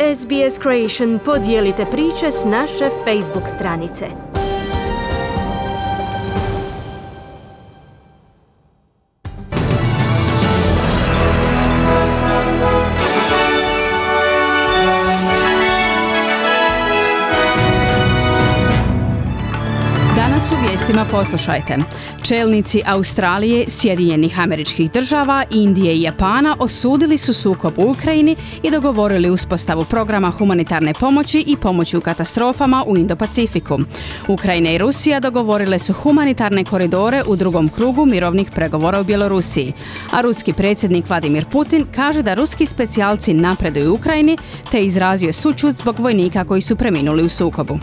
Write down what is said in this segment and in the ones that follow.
SBS Creation podijelite priče s naše Facebook stranice. Danas u vijestima poslušajte. Čelnici Australije, Sjedinjenih Američkih Država, Indije i Japana osudili su sukob u Ukrajini i dogovorili uspostavu programa humanitarne pomoći i pomoći u katastrofama u Indo-Pacifiku. Ukrajina i Rusija dogovorile su humanitarne koridore u drugom krugu mirovnih pregovora u Bjelorusiji. A ruski predsjednik Vladimir Putin kaže da ruski specijalci napreduju u Ukrajini te izrazio sućut zbog vojnika koji su preminuli u sukobu.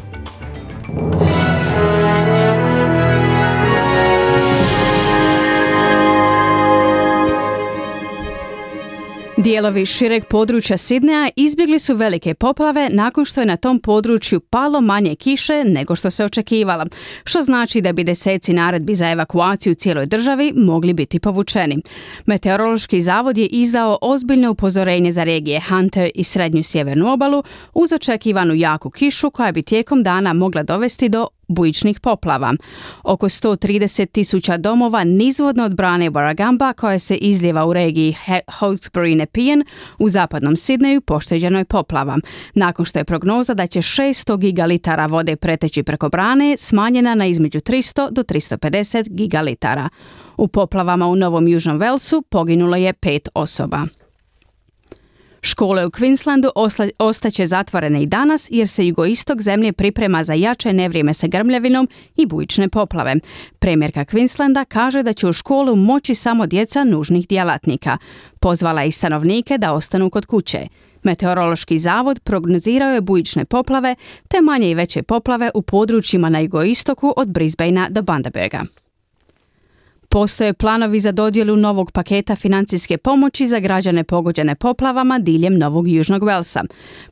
Dijelovi šireg područja Sidneja izbjegli su velike poplave nakon što je na tom području palo manje kiše nego što se očekivalo, što znači da bi deseci naredbi za evakuaciju u cijeloj državi mogli biti povučeni. Meteorološki zavod je izdao ozbiljno upozorenje za regije Hunter i srednju sjevernu obalu uz očekivanu jaku kišu koja bi tijekom dana mogla dovesti do bujičnih poplava. Oko 130,000 domova nizvodno od brane Warragamba koja se izlijeva u regiji Hawkesbury Nepean u zapadnom Sidneju pošteđeno je poplava. Nakon što je prognoza da će 600 gigalitara vode preteći preko brane smanjena na između 300 do 350 gigalitara. U poplavama u Novom Južnom Walesu poginulo je 5 osoba. Škole u Queenslandu ostaće zatvorene i danas jer se jugoistok zemlje priprema za jače nevrijeme sa grmljavinom i bujične poplave. Premijerka Queenslanda kaže da će u školu moći samo djeca nužnih djelatnika. Pozvala je i stanovnike da ostanu kod kuće. Meteorološki zavod prognozirao je bujične poplave te manje i veće poplave u područjima na jugoistoku od Brisbanea do Bundaberga. Postoje planovi za dodjelu novog paketa financijske pomoći za građane pogođene poplavama diljem Novog Južnog Walesa.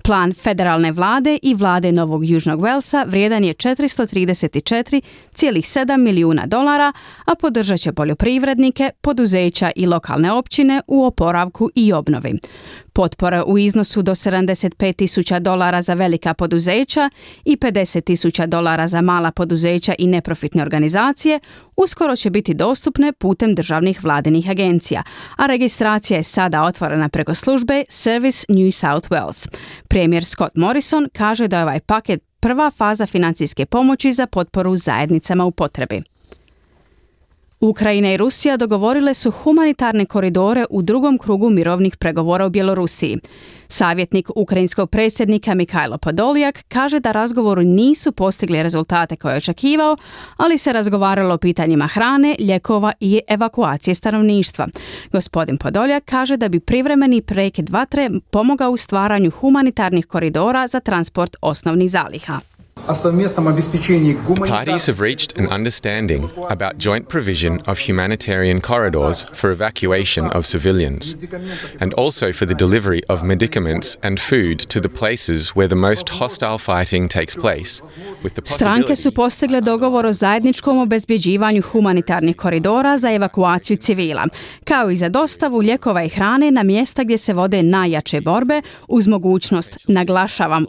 Plan federalne vlade i vlade Novog Južnog Walesa vrijedan je $434,7 milijuna, a podržat će poljoprivrednike, poduzeća i lokalne općine u oporavku i obnovi. Potpora u iznosu do $75,000 za velika poduzeća i $50,000 za mala poduzeća i neprofitne organizacije uskoro će biti dostupne putem državnih vladinih agencija, a registracija je sada otvorena preko službe Service New South Wales. Premijer Scott Morrison kaže da je ovaj paket prva faza financijske pomoći za potporu zajednicama u potrebi. Ukrajina i Rusija dogovorile su humanitarne koridore u drugom krugu mirovnih pregovora u Bjelorusiji. Savjetnik ukrajinskog predsjednika Mikhailo Podoljak kaže da razgovori nisu postigli rezultate koje je očekivao, ali se razgovaralo o pitanjima hrane, lijekova i evakuacije stanovništva. Gospodin Podoljak kaže da bi privremeni prekid vatre pomogao u stvaranju humanitarnih koridora za transport osnovnih zaliha. Parties have reached an understanding about joint provision of humanitarian corridors for evacuation of civilians, and also for the delivery of medicaments and food to the places where the most hostile fighting takes place. Stranke su postigle dogovor o zajedničkom obezbjeđivanju humanitarnih koridora za evakuaciju civila, kao i za dostavu lijekova i hrane na mjesta gdje se vode najjače borbe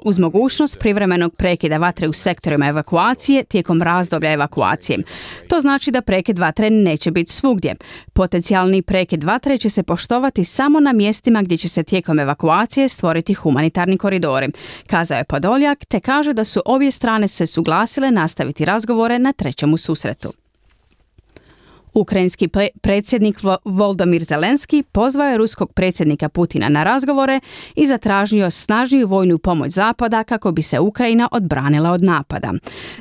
uz mogućnost privremenog prekida vatre u sektorima evakuacije tijekom razdoblja evakuacije. To znači da prekid vatre neće biti svugdje. Potencijalni prekid vatre će se poštovati samo na mjestima gdje će se tijekom evakuacije stvoriti humanitarni koridori, kazao je Podoljak, te kaže da su obje strane se suglasile nastaviti razgovore na trećem susretu. Ukrajinski predsjednik Volodymyr Zelenski pozvao je ruskog predsjednika Putina na razgovore i zatražio snažniju vojnu pomoć Zapada kako bi se Ukrajina odbranila od napada.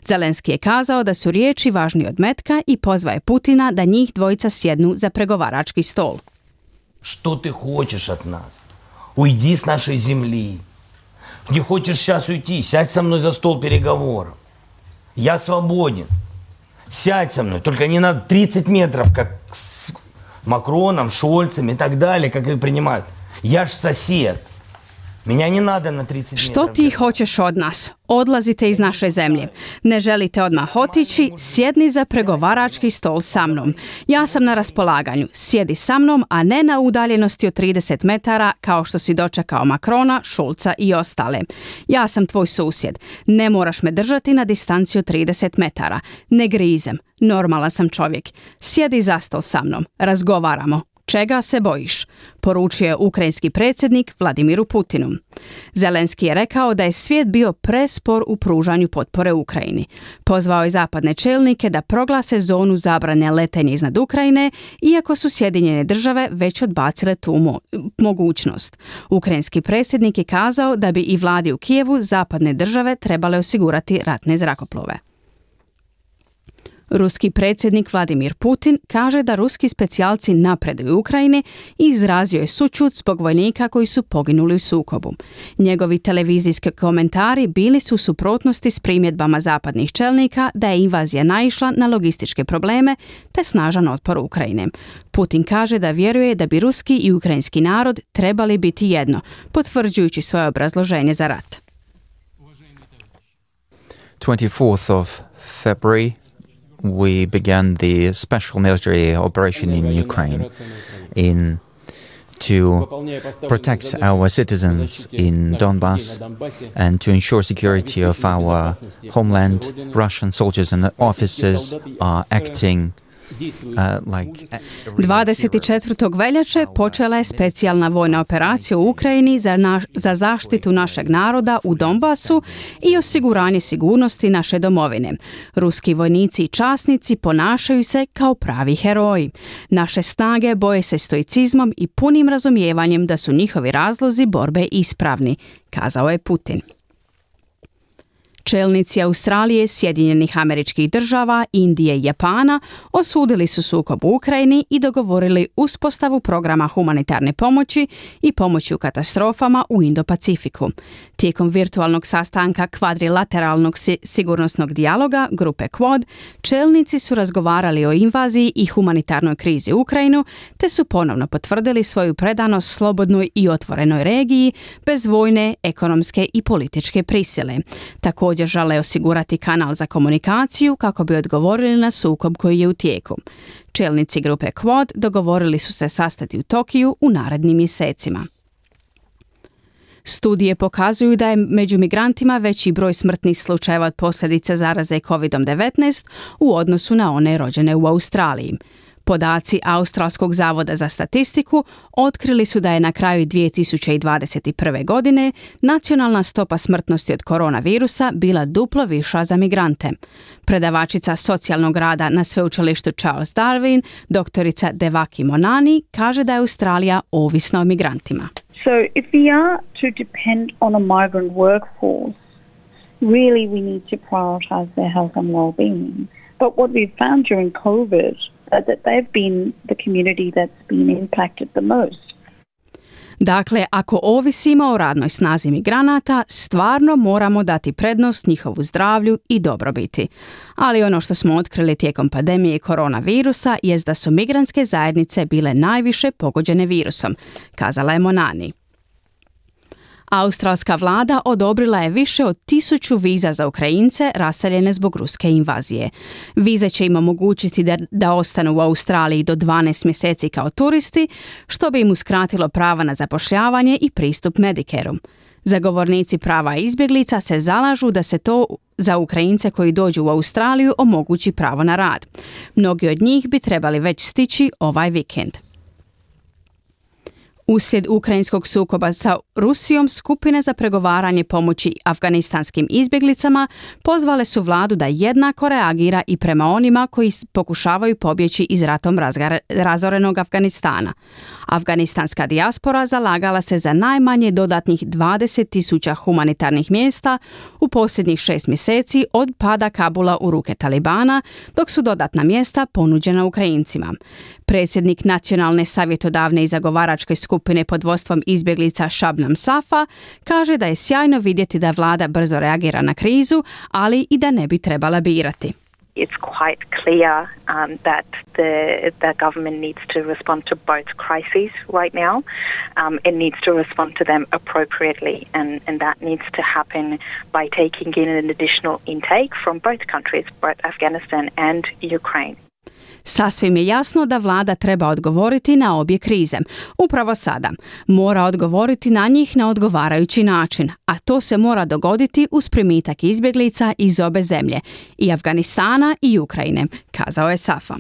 Zelenski je kazao da su riječi važnije od metka i pozvao je Putina da njih dvojica sjednu za pregovarački stol. Što ti hoćeš od nas? Ujdi s naše zemlji. Gdje hoćeš сейчас уйти? Сядь со мной за стол переговоров. Я свободен. Сядь со мной, только не на 30 метров, как с Макроном, Шольцем и так далее, как их принимают. Я ж сосед. Меня не надо на 30 метров. Što ti hoćeš od nas? Odlazite iz naše zemlje. Ne želite odmah otići? Sjedni za pregovarački stol sa mnom. Ja sam na raspolaganju. Sjedi sa mnom, a ne na udaljenosti od 30 metara kao što si dočekao Macrona, Schulza i ostale. Ja sam tvoj susjed. Ne moraš me držati na distanci od 30 metara. Ne grizem. Normalan sam čovjek. Sjedi za stol sa mnom. Razgovaramo. Čega se bojiš? Poručio je ukrajinski predsjednik Vladimiru Putinu. Zelenski je rekao da je svijet bio prespor u pružanju potpore Ukrajini. Pozvao je zapadne čelnike da proglase zonu zabrane letenja iznad Ukrajine, iako su Sjedinjene države već odbacile tu mogućnost. Ukrajinski predsjednik je kazao da bi i vladi u Kijevu zapadne države trebale osigurati ratne zrakoplove. Ruski predsjednik Vladimir Putin kaže da ruski specijalci napreduju u Ukrajini i izrazio je sućut zbog vojnika koji su poginuli u sukobu. Njegovi televizijski komentari bili su u suprotnosti s primjedbama zapadnih čelnika da je invazija naišla na logističke probleme te snažan otpor Ukrajine. Putin kaže da vjeruje da bi ruski i ukrajinski narod trebali biti jedno, potvrđujući svoje obrazloženje za rat. 24th of February we began the special military operation in Ukraine to protect our citizens in Donbass and to ensure security of our homeland. Russian soldiers and officers are acting 24. veljače počela je specijalna vojna operacija u Ukrajini za zaštitu našeg naroda u Donbasu i osiguranje sigurnosti naše domovine. Ruski vojnici i časnici ponašaju se kao pravi heroji. Naše snage boje se stoicizmom i punim razumijevanjem da su njihovi razlozi borbe ispravni, kazao je Putin. Čelnici Australije, Sjedinjenih Američkih Država, Indije i Japana osudili su sukob u Ukrajini i dogovorili uspostavu programa humanitarne pomoći i pomoći u katastrofama u Indo-Pacifiku. Tijekom virtualnog sastanka kvadrilateralnog sigurnosnog dijaloga grupe Quad, čelnici su razgovarali o invaziji i humanitarnoj krizi u Ukrajinu, te su ponovno potvrdili svoju predanost slobodnoj i otvorenoj regiji bez vojne, ekonomske i političke prisile. Također žele osigurati kanal za komunikaciju kako bi odgovorili na sukob koji je u tijeku. Čelnici grupe Quad dogovorili su se sastati u Tokiju u narednim mjesecima. Studije pokazuju da je među migrantima veći broj smrtnih slučajeva od posljedica zaraze COVID-19 u odnosu na one rođene u Australiji. Podaci Australskog zavoda za statistiku otkrili su da je na kraju 2021. godine nacionalna stopa smrtnosti od koronavirusa bila duplo viša za migrante. Predavačica socijalnog rada na sveučilištu Charles Darwin, doktorica Devaki Monani, kaže da je Australija ovisna o migrantima. So if we are to depend on a migrant workforce, really we need to prioritize their health and well-being. But what we've found during COVID that they've been the community that's been impacted the most. Dakle, ako ovisimo o radnoj snazi migranata, stvarno moramo dati prednost njihovu zdravlju i dobrobiti. Ali ono što smo otkrili tijekom pandemije koronavirusa jest da su migrantske zajednice bile najviše pogođene virusom, kazala je Monani. Australska vlada odobrila je više od 1000 viza za Ukrajince raseljene zbog ruske invazije. Vize će im omogućiti da ostanu u Australiji do 12 mjeseci kao turisti, što bi im uskratilo prava na zapošljavanje i pristup Medicareu. Zagovornici prava izbjeglica se zalažu da se to za Ukrajince koji dođu u Australiju omogući pravo na rad. Mnogi od njih bi trebali već stići ovaj vikend. Uslijed ukrajinskog sukoba sa Rusijom, skupine za pregovaranje pomoći afganistanskim izbjeglicama pozvale su vladu da jednako reagira i prema onima koji pokušavaju pobjeći iz ratom razorenog Afganistana. Afganistanska dijaspora zalagala se za najmanje dodatnih 20.000 humanitarnih mjesta u posljednjih 6 mjeseci od pada Kabula u ruke Talibana, dok su dodatna mjesta ponuđena Ukrajincima. Predsjednik Nacionalne savjetodavne i zagovaračke skupine pod vodstvom izbjeglica Shabnam Safa kaže da je sjajno vidjeti da vlada brzo reagira na krizu, ali i da ne bi trebala birati. It's quite clear that the government needs to respond to both crises right now. It needs to respond to them appropriately, and that needs to happen by taking in an additional intake from both countries, both Afghanistan and Ukraine. Sasvim je jasno da vlada treba odgovoriti na obje krize. Upravo sada mora odgovoriti na njih na odgovarajući način, a to se mora dogoditi uz primitak izbjeglica iz obe zemlje, i Afganistana i Ukrajine, kazao je Safa.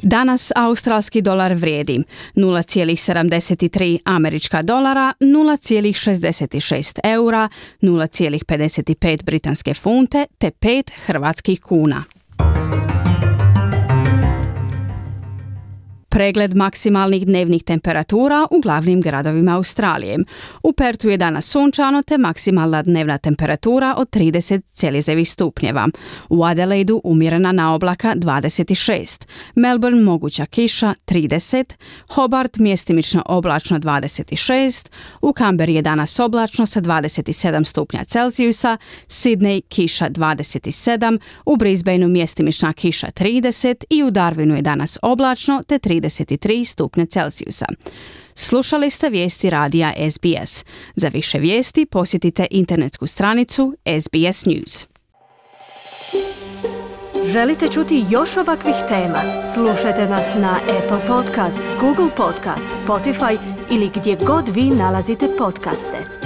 Danas australski dolar vrijedi 0,73 američka dolara, 0,66 eura, 0,55 britanske funte te 5 hrvatskih kuna. Pregled maksimalnih dnevnih temperatura u glavnim gradovima Australije. U Pertu je danas sunčano te maksimalna dnevna temperatura od 30 Celzijevih stupnjeva. U Adelaidu umjerena na oblaka 26, Melbourne moguća kiša 30, Hobart mjestimično oblačno 26, u Canberri je danas oblačno sa 27 stupnja Celzijusa, Sydney kiša 27, u Brisbaneu mjestimična kiša 30 i u Darwinu je danas oblačno te 33 stupnja Celzijusa. Slušali ste vijesti radija SBS. Za više vijesti posjetite internetsku stranicu SBS News. Želite čuti još ovakvih tema? Slušajte nas na Apple Podcast, Google Podcast, Spotify ili gdje god vi nalazite podcaste.